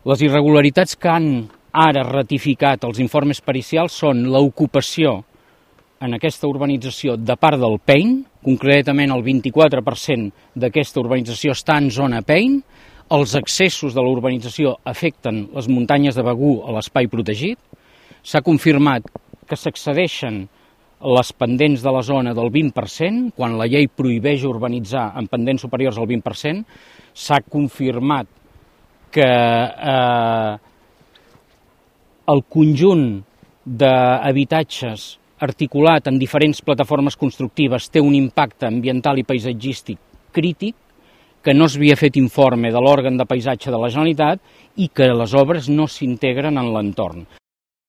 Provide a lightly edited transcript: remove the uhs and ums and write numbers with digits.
Les irregularitats que han ara ratificat els informes pericials són l'ocupació en aquesta urbanització de part del PEIN, concretament el 24% d'aquesta urbanització està en zona PEIN, els accessos de la urbanització afecten les muntanyes de Begur a l'espai protegit, s'ha confirmat que s'accedeixen les pendents de la zona del 20%, quan la llei prohibeix urbanitzar en pendents superiors al 20%, s'ha confirmat que el conjunt d'habitatges articulat en diferents plataformes constructives té un impacte ambiental i paisatgístic crític, que no s'havia fet informe de l'òrgan de paisatge de la Generalitat i que les obres no s'integren en l'entorn.